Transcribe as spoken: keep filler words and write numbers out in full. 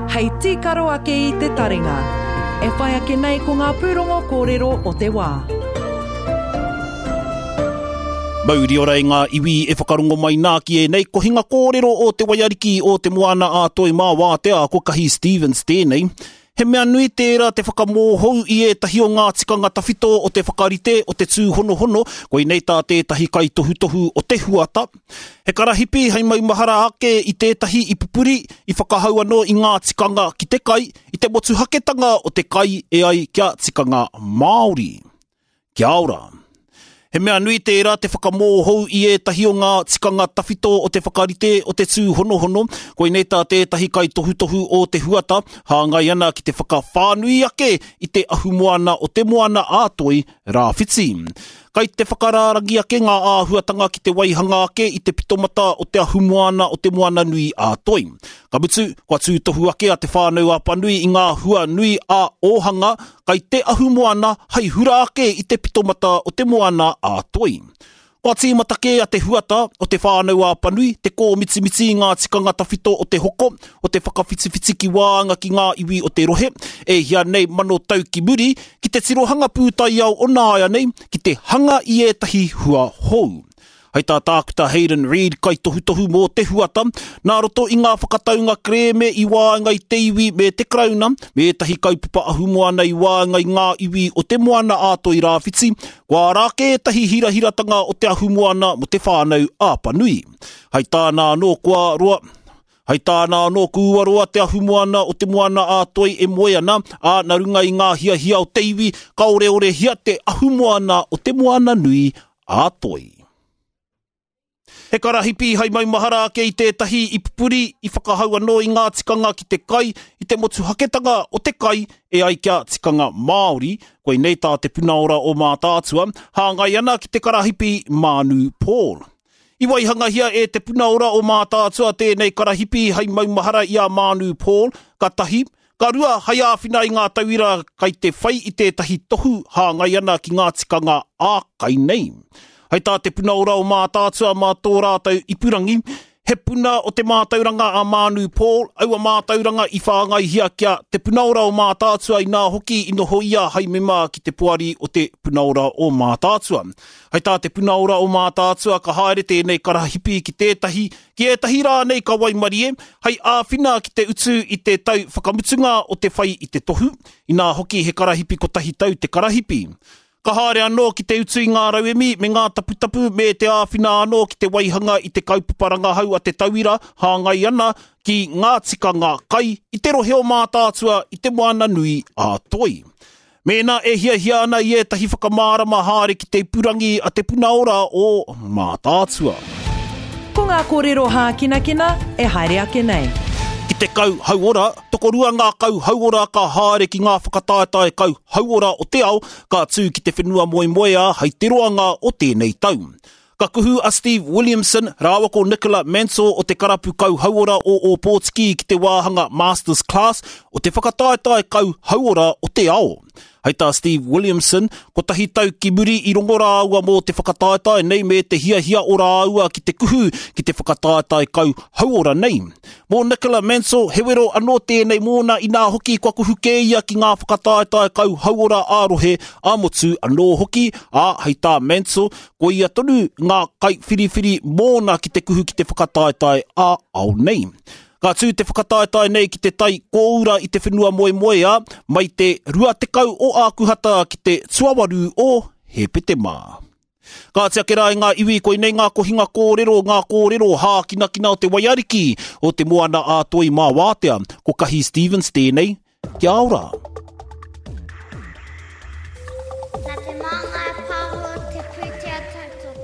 hei tīkaro ake i te taringa. E whai ake nei ko ngā pūrongo kōrero o te wā. Mauri ora i ngā iwi e whakarongo mai nā ki ēnei kohinga kōrero o te waiariki o te moana a Toi mā wātea ko Kahi Stevens tēnei. He mea nui tērā te whakamōhou i ētahi o ngā tikanga tawhito o te whakarite o te tūhonohono, koinei tā tētahi kaitohutohu o te huata. He karahipi hei maumahara ake i tētahi i pupuri, i whakahau anō i ngā tikanga ki te kai, i te motuhaketanga o te kai e ai kia tikanga Māori. Kia ora. He mea nui tērā te whakamōhou i ētahi o ngā tikanga tawhito o te whakarite o te tūhonohono, koinei tā tētahi kaitohutohu o te huata, hāngai ana ki te whakawhānui ake i te ahumoana o te moana a Toi Rāwhiti. Kai te whakarārangi ake ngā āhuatanga ki te waihanga ake i te pitomata o te ahumoana o te moana nui a Toi. Ka mutu, kua tūtohu ake a Te Whānau Apanui i ngā hua nui a ōhanga kai te ahumoana hei hura ake i te pitomata o te moana a Toi. Kua tīmata kē a te huata o Te Whānau Apanui, te kōmitimiti i ngā tikanga tawhito o te hoko, o te whakawhitiwhiti ki wāanga ki ngā iwi o te rohe, e hia nei mano tau ki muri, ki te tirohanga pūtaiao o nāia nei, ki te hanga i ētahi hua hou. Hei tā Tākuta Hayden Reid kaitohutohu mō te huata, nā roto i ngā whakataunga kerēme i waenga i te iwi me te Karauna, me ētahi kaupapa ahumoana i waenga i ngā iwi o te moana a Toi Rāwhiti, kua ara ake ētahi hirahiratanga o te ahumoana mō Te Whānau Apanui. Hei tāna anō kua roa, Hei tāna anō kua roa te ahumoana o te moana a Toi e moe ana, ā, nā runga i ngā hiahia o te iwi, ka oreorehia te ahumoana o te moana nui a Toi. He karahipi hei maumahara ake i tētahi i pupuri, i whakahau anō i ngā tikanga ki te kai, i te motuhaketanga o te kai e ai kia tikanga Māori, koinei tā te puna ora o Mātaatua, hāngai ana ki te karahipi Mānu Paul. I waihangahia e te puna ora o Mātaatua tēnei karahipi hei maumahara i a Mānu Paul, ka tahi, ka rua hei āwhina i ngā tauira kai te whai i tētahi tohu hāngai ana ki ngā tikanga ā-kai nei. Hei tā te puna ora o Mātaatua mā tō rātou ipurangi, he puna o te mātauranga a Mānu Paul, aua mātauranga i whāngaihia kia te puna ora o Mātaatua inā hoki i noho ia hei mema ki te poari o te puna ora o Mātaatua. Hei tā te puna ora o Mātaatua ka haere tēnei karahipi ki tētahi, ki ētahi rānei ka waimarie, hei āwhina ki te utu i te tau whakamutunga o te whai i te tohu, inā hoki he karahipi kotahi tau te karahipi. Ka haere anō ki te utu i ngā rauemi me ngā taputapu me te āwhina anō ki te waihanga i te kaupapa rangahau a te tauira hāngai ana ki ngā tikanga kai i te rohe o Mātaatua i te moana nui a Toi. Mēnā e hiahia ana i ētahi whakamārama haere ki te ipurangi a te puna ora o Mātaatua. Ko ngā kōrero hākinakina e haere ake nei. Ki te kau hauora, tokorua ngā kau hauora ka haere ki ngā whakataetae kau hauora o te ao, ka tū ki te whenua moemoeā hei te roanga o tēnei tau. Ka kuhu a Steve Williamson rāua ko Nicola Mansell o te karapu kau hauora o Ōpōtiki ki te wāhanga Masters Class o te whakataetae kau hauora o te ao. Hei tā Steve Williamson, kotahi tau ki muri i rongo rāua mō te whakataetae nei me te hiahia o rāua ki te kuhu ki te whakataetae kau hauora nei. Mō Nicola Mansell, he wero anō tēnei mōna inā hoki kua kuhu kē ia ki ngā whakataetae kau hauora ā-rohe ā-motu anō hoki, ā, hei tā Mansell, ko ia tonu ngā kaiwhiriwhiri mōna ki te kuhu ki te whakataetae ā-ao nei. Ka tū te whakataetae nei ki te tai kōura i te whenua moemoeā, mai te rua tekau o Ākuhata ki te tuawaru o Hepetema. Ka oti ake rā i ngā iwi, koinei ngā kohinga kōrero, ngā kōrero hākinakina o te waiariki o te moana a Toi mā wātea. Ko Kahi Stevens tēnei, kia ora. Nā Te Māngai Pāho te pūtea tautoko.